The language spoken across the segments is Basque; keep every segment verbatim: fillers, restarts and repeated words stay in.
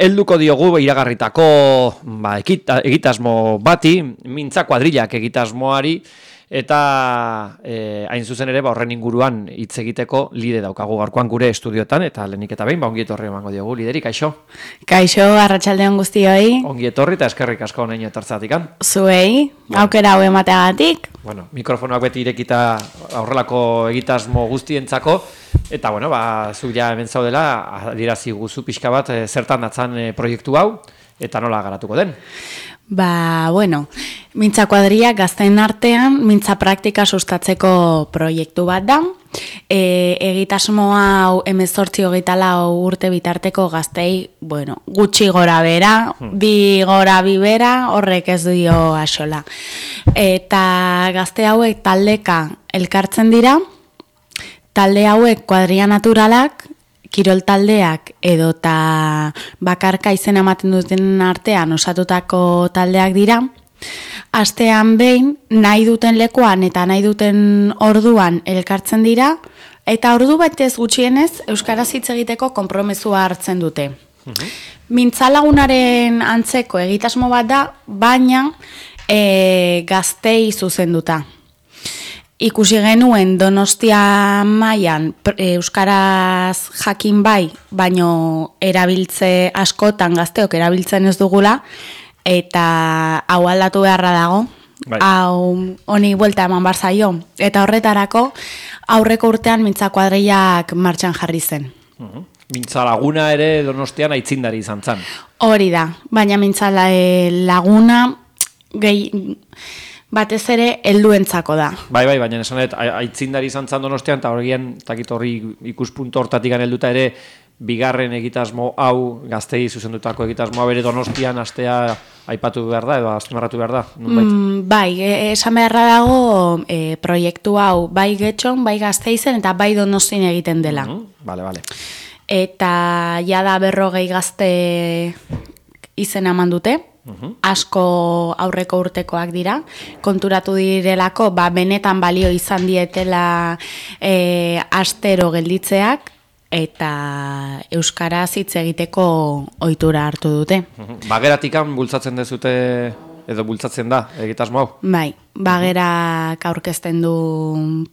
helduko diogu iragarritako ba, ekita, egitasmo bati, mintza kuadrilak egitasmoari, eta e, hain zuzen ere ba, horren inguruan hitz egiteko lide daukagu gaurkoan gure estudiotan, eta lehenik eta behin, ba, ongi etorri emango diogu, lideri, kaixo? Kaixo, arratsaldeon guztioi. Ongi etorri eta eskerrik asko honein etortzatikan. Zuei, bueno. Aukera hau emateagatik. Bueno, mikrofonoak beti irekita aurrelako egitasmo guztientzako, eta bueno, ba, zu ja hemen zaudela, adierazi guzu pixka bat, e, zertan datzan e, proiektu hau, eta nola garatuko den? Ba, bueno, mintza kuadriak gazteen artean, mintza praktika sustatzeko proiektu bat da. E, egitasmo hau hemezortzi hogeita lau urte bitarteko gaztei, bueno, gutxi gora bera, hmm. bi gora bi bera, horrek ez dio axola. Eta gazte hauek taldeka elkartzen dira, talde hauek kuadria naturalak, kirol taldeak edota bakarka izena ematen duten artean osatutako taldeak dira. Astean behin nahi duten lekuan eta nahi duten orduan elkartzen dira eta ordu batez gutxienez euskaraz hitz egiteko konpromezua hartzen dute. Mhm. Mintzalagunaren antzeko egitasmo bat da, baina e, gaztei zuzenduta. Ikusi genuen Donostia mailan euskaraz jakin bai, baino erabiltze askotan gazteok erabiltzen ez dugula, eta hau aldatu beharra dago, bai. Hau honi buelta eman bar zaio, eta horretarako aurreko urtean mintza kuadrilak martxan jarri zen. Uh-huh. Mintza laguna ere Donostian aitzindari izan zen. Hori da, baina mintza laguna gehi... batez ere helduentzako da. Bai, bai, baina esan dut, aitzindari izan zan Donostian, eta horien, takit horri ikuspuntu hortatik helduta ere, bigarren egitasmo hau, gaztei zuzendutako egitasmoa bere Donostian astea aipatu behar da, edo azpimarratu behar da? Mm, bai, esan beharra dago e, proiektu hau bai Getxon, bai Gasteizen eta bai Donostian egiten dela. Mm-hmm. Bale, bale. Eta jada berrogei gazte izena eman dute. Uhum. Asko aurreko urtekoak dira, konturatu direlako, ba, benetan balio izan dietela e, astero gelditzeak, eta euskaraz hitz egiteko ohitura hartu dute. Uhum. Bageratikan bultzatzen dezute, edo bultzatzen da, egitasmo hau? Bai, bagerak aurkezten du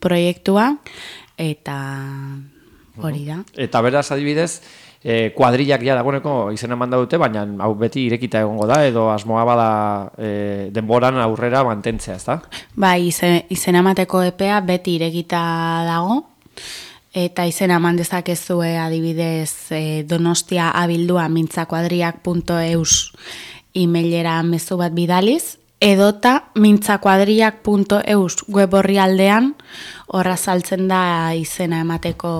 proiektua, eta hori da. Uhum. Eta beraz adibidez, E, kuadrilak ja dagoeneko izena manda dute, baina hau beti irekita egongo da, edo asmoa bada e, denboran aurrera mantentzea, ez da? Ba, izen, izena emateko epea beti irekita dago, eta izena eman dezakezue adibidez e, Donostia abildua mintzakuadriak punto eus emailera mezu bat bidaliz, edota mintzakuadriak punto eus web orrialdean horra saltzen da izena emateko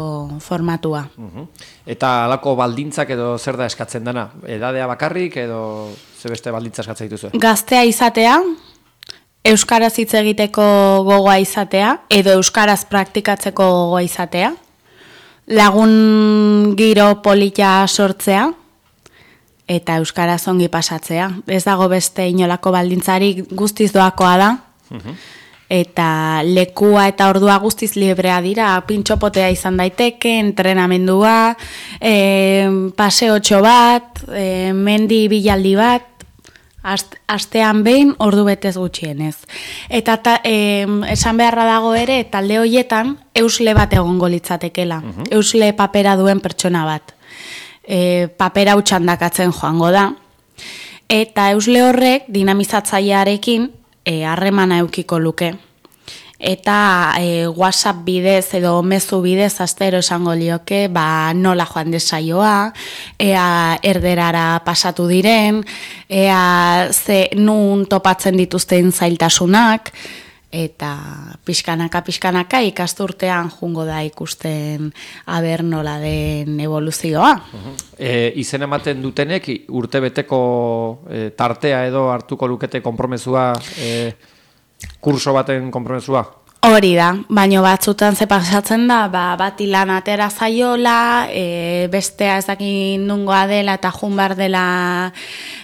formatua. Uh-huh. Eta halako baldintzak edo zer da eskatzen dena? Edadea bakarrik edo ze beste baldintza eskatzen dituzu? Gaztea izatea, euskaraz hitz egiteko gogoa izatea, edo euskaraz praktikatzeko gogoa izatea, lagun giro polita sortzea, eta euskaraz ongi pasatzea. Ez dago beste inolako baldintzarik, guztiz doakoa da. Uh-huh. Eta lekua eta ordua guztiz librea dira, pintxopotea izan daiteke, entrenamendua, e, paseotxo bat, e, mendi bilaldi bat, ast, astean behin ordu betez gutxienez. Eta ta, e, esan beharra dago ere, talde horietan eusle bat egongo litzatekela, uh-huh. Eusle papera duen pertsona bat. E, papera utxandakatzen joango da, eta eusle horrek dinamizatzailearekin harremana e, eukiko luke. Eta e, WhatsApp bidez edo mezu bidez astero esango lioke, ba, nola joan desaioa, ea erderara pasatu diren, ea ze nun topatzen dituzten zailtasunak, eta pixkanaka, pixkanaka ikasturtean jungo da ikusten aber nola den evoluzioa. Uh-huh. E, izen ematen dutenek urtebeteko e, tartea edo hartuko lukete konpromezua, e, kurso baten konpromezua? Hori da, baino batzutan ze pasatzen da, ba, bat ilan atera zaiola, e, bestea ez dakin nungoa dela eta jun behar dela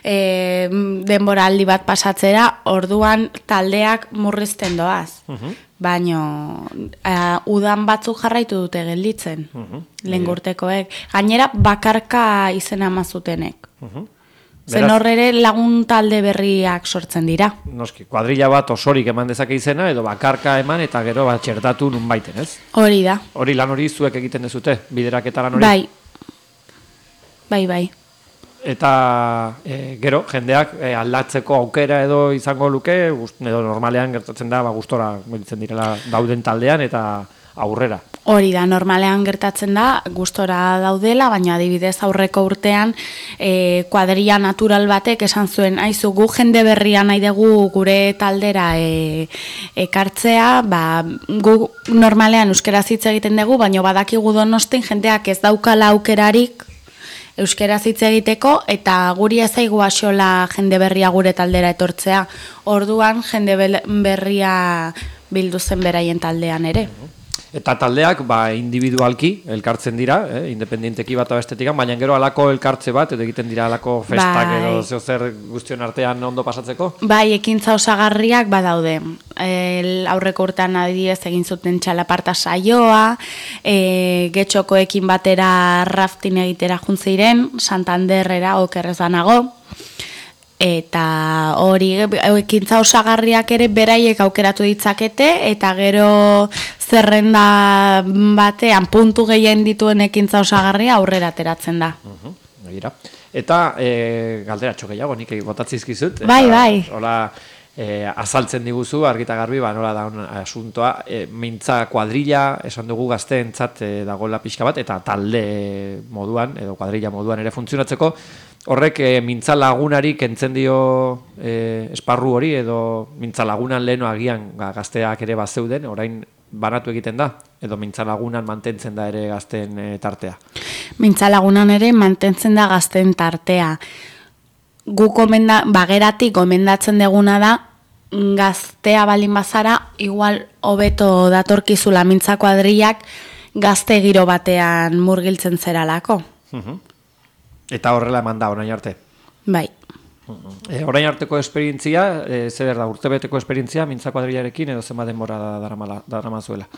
e, denboraldi bat pasatzera, orduan taldeak murrizten doaz. Uh-huh. Baino uh, udan batzuk jarraitu dute gelditzen, uh-huh. lehen urtekoek. Gainera bakarka izena mazutenek. Uh-huh. Zen horre lagun talde berriak sortzen dira. Noski, kuadrilla bat osorik eman dezake izena, edo bakarka eman eta gero bat txertatu nun baiten, ez? Hori da. Hori lan hori zuek egiten dezute, bideraketa lan hori? Bai, bai, bai. Eta e, gero, jendeak e, aldatzeko aukera edo izango luke, edo normalean gertatzen da, ba, gustora gelditzen direla dauden taldean eta aurrera. Hori da, normalean gertatzen da, gustora daudela, baina adibidez aurreko urtean e, kuadrilla natural batek esan zuen, aizu gu jende berria nahi dugu gure taldera e, ekartzea, ba, gu normalean euskeraz hitz egiten dugu, baina badakigu Donostin jendeak ez daukala aukerarik euskeraz hitz egiteko, eta guri ezaigu axola jende berria gure taldera etortzea. Orduan jende berria bildu zen beraien taldean ere. Eta taldeak ba, individualki elkartzen dira, eh, independienteki bat abestetikan, baina gero alako elkartze bat, edo egiten dira alako festak bai. Edo zeo zer guztion artean ondo pasatzeko? Bai, ekintza osagarriak badaude. El, aurreko urtean adibidez egin zuten txalaparta saioa, e, getxokoekin batera raftin egitera juntziren, Santanderrera okerrez banago, eta hori ekintza osagarriak ere beraiek aukeratu ditzakete, eta gero zerrenda batean puntu gehien dituen ekintza osagarria aurrera ateratzen da. Uh-huh, eta e, galderatxo gehiago, nik botatzizkizut. Bai, bai. Hola, e, azaltzen diguzu, argita garbi, ba, nola da un asuntoa, e, mintza kuadrilla, esan dugu gazteentzat e, dagoela pixka bat, eta talde moduan, edo kuadrilla moduan ere funtzionatzeko, horrek e, mintza lagunari kentzen dio e, esparru hori, edo mintza lagunan leheno agian gazteak ere bazeuden, orain banatu egiten da, edo mintza lagunan mantentzen da ere gazten e, tartea? Mintza lagunan ere mantentzen da gazten tartea. Gu komenda, bageratik gomendatzen deguna da, gaztea balin bazara, igual hobeto datorkizula mintza kuadrillak gazte giro batean murgiltzen zeralako. Uh-huh. Eta horrela eman da, orain arte? Bai. E, orain arteko esperientzia, e, zer da, urtebeteko esperientzia, mintza kuadrillarekin, edo zenbat denbora daramazuela?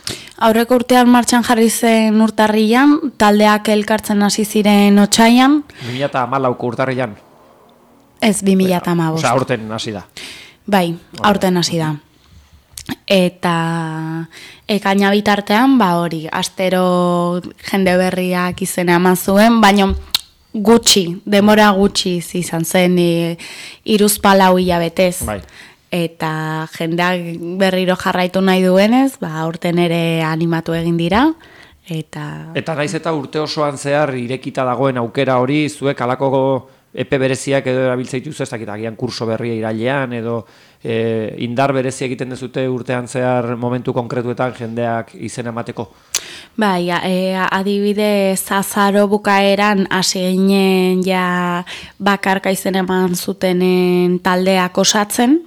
Aurreko urtean martxan jarri zen urtarrian, taldeak elkartzen hasi ziren otsaian. bi mila hamalauko urtarrian? Ez, bi mila hamabost. Osa, aurten hasi da. Bai, aurten hasi da. Eta ekaina bitartean, ba hori, astero jende berriak izena eman zuen, baina gutxi, demora gutxi izan zen hiruzpalau hilabetez. Bai. Eta jendeak berriro jarraitu nahi duenez, ba aurten ere animatu egin dira. Eta Eta naiz eta urte osoan zehar irekita dagoen aukera hori, zuek halako epe bereziak edo erabiltzen dituzu, ez dakit agian kurso berria irailean edo e, indar berezia egiten dezute urtean zehar momentu konkretuetan jendeak izena emateko? Bai, e, adibidez azaro bukaeran hasi ginen ja bakarka izen eman zutenen taldeak osatzen,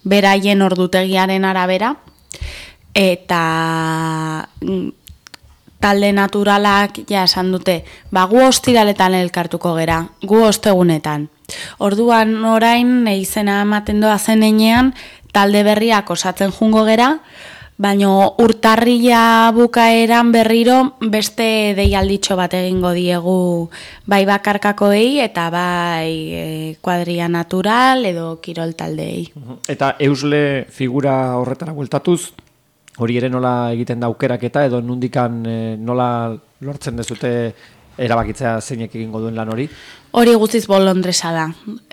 beraien ordutegiaren arabera, eta talde naturalak ja esan dute, ba gu ostiraletan elkartuko gera, gu ostegunetan. Orduan orain izena ematen doa zen enean, talde berriak osatzen jungo gera, baina urtarrila bukaeran berriro beste deialditxo bat egingo diegu bai bakarkakoei eta bai e, kuadrilla natural edo kirol taldeei. Eta eusle figura horretara bueltatuz, hori ere nola egiten da aukeraketa edo nundikan e, nola lortzen dezute erabakitzea zeinek egingo duen lan hori? Hori guztiz bolondresa da.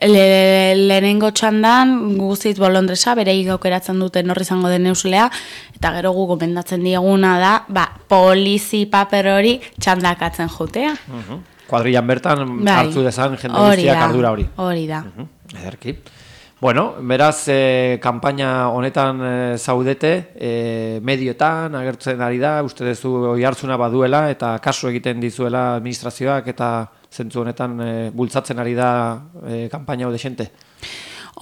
Le, lehenengo txandan guztiz bolondresa, bereik aukeratzen dute norri izango den euslea, eta gero gu gomendatzen dieguna da, ba, polizi paper hori txandakatzen jutea. Uh-huh. Kuadrillan bertan bai. Hartzu dezan jende guztiak ardura hori. Hori da. Uh-huh. Ederki. Bueno, beraz, eh, kanpaina honetan eh, zaudete, eh, medioetan agertzen ari da, uste duzu oi hartzuna baduela, eta kasu egiten dizuela administrazioak, eta zentzu honetan eh, bultzatzen ari da eh, kanpaina hau desente.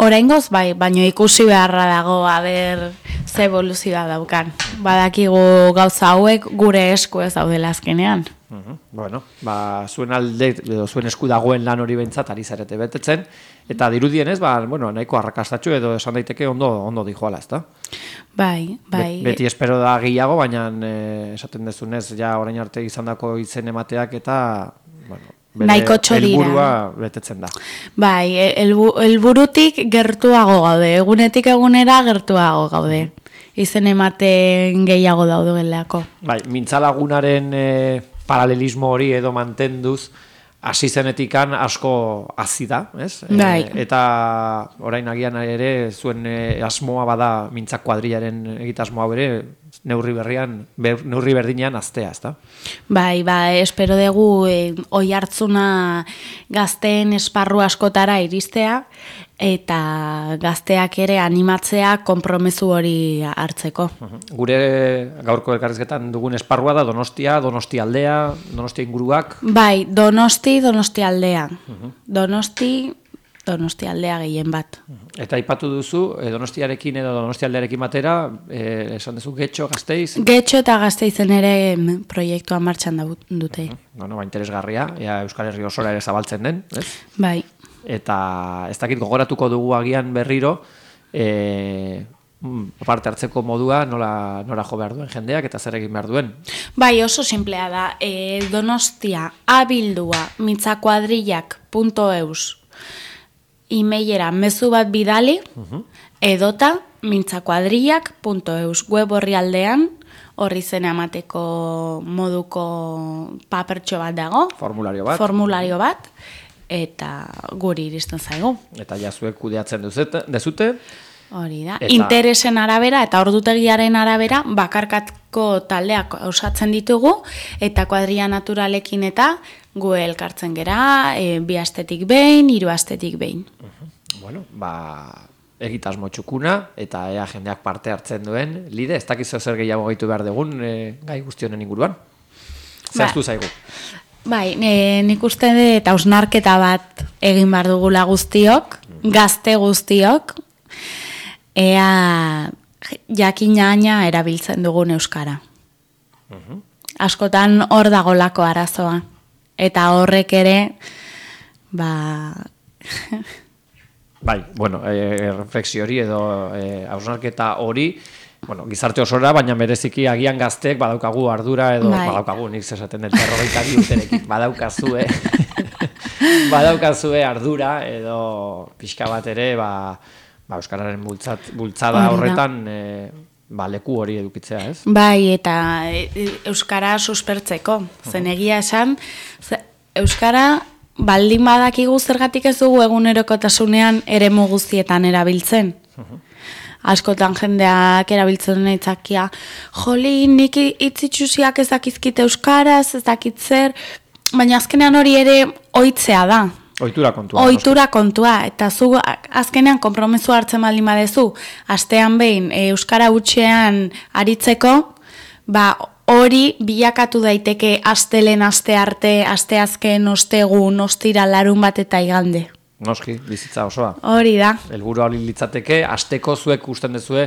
Oraingoz bai, baino ikusi beharra dago, aber ze evoluzioa daukan. Badakigu gauza hauek gure esku ez daudela azkenean. Uh-huh. Bueno, ba, zuen alde, edo zuen esku dagoen lan hori behintzat ari zarete betetzen, eta dirudienez, ba, bueno, nahiko arrakastatxu edo esan daiteke ondo, ondo dijoala, ezta? Bai, bai. Be, beti espero da gehiago, baina eh, esaten dezunez, ja orain arte izandako izen emateak eta, bueno, bere helburua betetzen da. Bai, elbu, helburutik gertuago gaude, egunetik egunera gertuago gaude. Izen ematen gehiago daudeleako. Bai, mintzalagunaren e, paralelismo hori edo mantenduz, hasi zenetikan asko hazi da, ez? Bai. E, eta orain agian ere zuen e, asmoa bada mintzak kuadrilaren egitasmoa bere, neurri berrian, ber, neurri berdinean aztea, ezta? Bai, bai, espero dugu e, oi hartzuna gazteen esparru askotara iristea, eta gazteak ere animatzea konpromezu hori hartzeko. Gure gaurko elkarrizketan dugun esparrua da Donostia, Donosti aldea, Donostia inguruak. Bai, Donosti, Donosti aldea. Uh-huh. Donosti, Donosti aldea gehien bat. Eta aipatu duzu, eh, Donostiarekin edo Donosti aldearekin batera, eh, esan duzu Getxo, Gasteiz? Getxo eta Gasteizen ere proiektua martxan dute. Uh-huh. Bueno, ba, interesgarria, ea Euskal Herri osora ere zabaltzen den, ez? Bai. Eta ez dakit gogoratuko dugu agian berriro e, parte hartzeko modua nola, nora jo behar duen jendeak eta zer egin behar duen. Bai, oso simplea da. E, Donostia abildua mitzakuadrillak punto eus e-mailera mezu bat bidali uh-huh. edota mitzakuadrillak punto eus web horri aldean horri zena emateko moduko papertxo bat dago. Formulario bat. Formulario bat. Eta guri iristen zaigu. Eta jazuek kudeatzen duzute, dezute. Hori da. Eta... interesen arabera eta ordutegiaren arabera bakarkatko taldeak osatzen ditugu eta kuadrilla naturalekin eta gu elkartzen gera e, bi astetik behin, hiru astetik behin. Uh-huh. Bueno, ba egitasmo txukuna eta ea jendeak parte hartzen duen. Lide, ez dakizu zer gehiago gehitu behar dugun e, gai guztionen inguruan. Zehaztu ba. Zaigu. Bai, e, nik uste dut hausnarketa bat egin behar dugula guztiok, gazte guztiok, ea jakinaina erabiltzen dugun euskara. Uh-huh. Askotan hor dagolako arazoa. Eta horrek ere, ba... bai, bueno, e, refleksio hori edo hausnarketa e, hori, bueno, gizarte osora, baina bereziki agian gazteek badaukagu ardura edo bai. Badaukagu, nik zesaten dut berrogeita bi urterekin badaukazue badaukazue ardura edo pixka bat ere ba, ba euskararen bultzat, bultzada horretan e, ba, leku hori edukitzea, ez? Bai, eta euskara suspertzeko, zen egia esan, euskara baldin badakigu zergatik ez dugu egunerokotasunean eremu guztietan erabiltzen. Uh-huh. Askotan jendeak erabiltzen naitzakia, joli, nik itzitsusiak ez dakizkite euskaraz, ez dakit zer, baina azkenean hori ere ohitzea da. Ohitura kontua. Ohitura kontua, eta zu azkenean konpromezu hartzen baldin badezu, astean behin euskara hutsean aritzeko, ba hori bilakatu daiteke astelen, aste arte, aste azken, ostegun, ostira, larun bat eta igande. Noski, bizitza osoa. Hori da. Helburu hori litzateke, asteko zuek usten dezue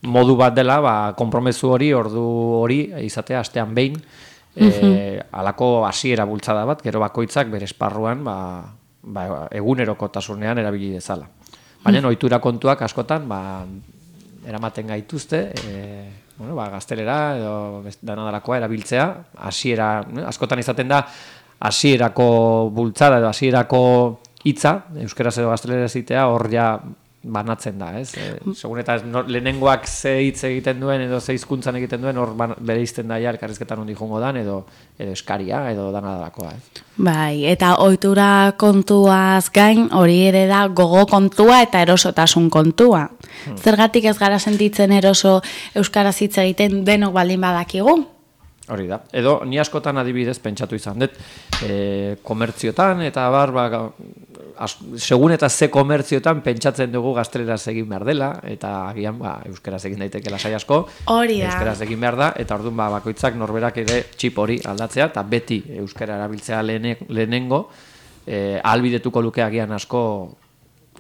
modu bat dela, ba, konpromezu hori, ordu hori, izatea astean behin, uh-huh. e, alako hasiera bultzada bat, gero bakoitzak bere esparruan, ba, ba, egunerokotasunean erabili dezala. Baina uh-huh. ohitura kontuak askotan, ba, eramaten gaituzte, e, bueno, ba, gaztelera edo danadalakoa erabiltzea, hasiera, askotan izaten da, hasierako bultzada edo hasierako hitza, euskeraz edo gaztelera zitea, hor ja banatzen da, ez? E, segun eta no, lehenengoak ze hitz egiten duen edo ze hizkuntzan egiten duen, hor bere izten da ja elkarrizketan ondi jongo dan, edo, edo eskaria, edo danadalakoa, ez? Bai, eta ohitura kontuaz gain, hori ere da gogo kontua eta erosotasun kontua. Hmm. Zergatik ez gara sentitzen eroso euskaraz hitz egiten denok baldin badakigu? Hori da. Edo ni askotan adibidez pentsatu izan dut, e, komertziotan eta bar, ba, as, segun eta ze komertziotan pentsatzen dugu gazteleraz egin behar dela, eta agian ba, euskeraz egin daiteke lasai asko, hori da. Euskeraz egin behar da, eta orduan ba, bakoitzak norberak ere txip hori aldatzea, eta beti euskera erabiltzea lehene, lehenengo, e, ahalbidetuko luke agian asko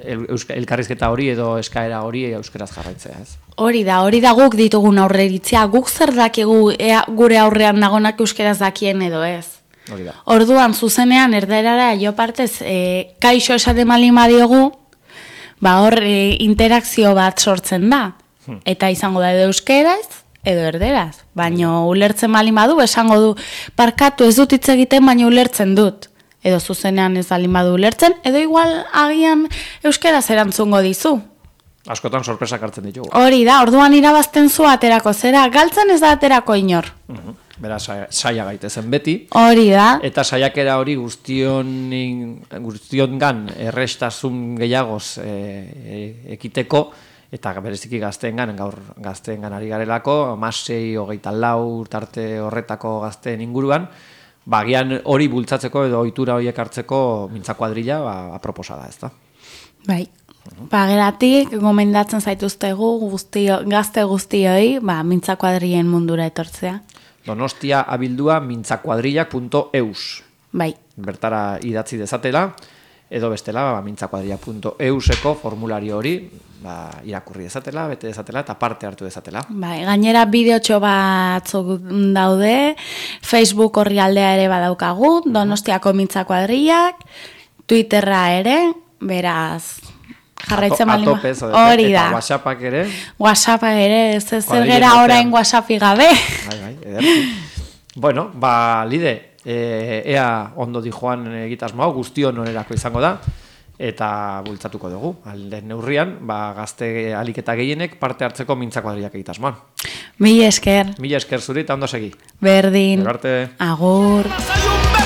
el, elkarrizketa hori edo eskaera hori euskeraz jarraitzea, ez? Hori da, hori da guk ditugun aurreritzea, guk zer dakigu ea, gure aurrean dagonak euskeraz dakien edo ez. Hori da. Orduan, zuzenean, erderara, jo partez, e, kaixo esate malima diogu, ba hor e, interakzio bat sortzen da. Hmm. Eta izango da edo euskeraz, edo erderaz. Baina ulertzen malin badu, esango du, parkatu ez dut hitz egiten, baina ulertzen dut. Edo zuzenean ez balin badu ulertzen, edo igual agian euskeraz erantzungo dizu. Askotan sorpresak hartzen ditugu. Hori da, orduan irabazten zu aterako zera, galtzen ez da aterako inor. Uh-huh. Bera, saia gaitezen beti. Hori da. Eta saiakera hori guztion, guztion gan errestasun gehiagoz e, e, ekiteko, eta bereziki gazteengan, gaur gazteengan ari garelako, hamasei, hogeita lau, tarte horretako gazteen inguruan, bagian hori bultzatzeko edo ohitura horiek hartzeko mintza kuadrilla, ba, aproposa da, ezta? Bai. Bageratik, gomendatzen zaituztegu guztio, gazte guztioi, ba, mintza kuadrien mundura etortzea. Donostia abildua mintzakuadrillak punto eus. Bai. Bertara idatzi dezatela, edo bestela, ba, mintzakuadrillak punto euseko formulario hori, ba, irakurri dezatela, bete dezatela, eta parte hartu dezatela. Bai, gainera bideotxo batzuk daude, Facebook orrialdea ere badaukagu, Donostiako mintzakuadrillak, Twitterra ere, beraz... jarraitzen malima. Atopez, hori da. Eta WhatsAppak ere. WhatsAppak ere, ez zer gera orain WhatsAppi gabe. Bai, bai, ederki. Bueno, ba, Lide, e, ea ondo di joan egitasmo hau, guztion onerako izango da, eta bultzatuko dugu. Alde neurrian, ba, gazte aliketa gehienek parte hartzeko mintzakuadrillak egitasmoan. Mila esker. Mila esker zuri, eta ondo segi. Berdin. Gero arte. Agur.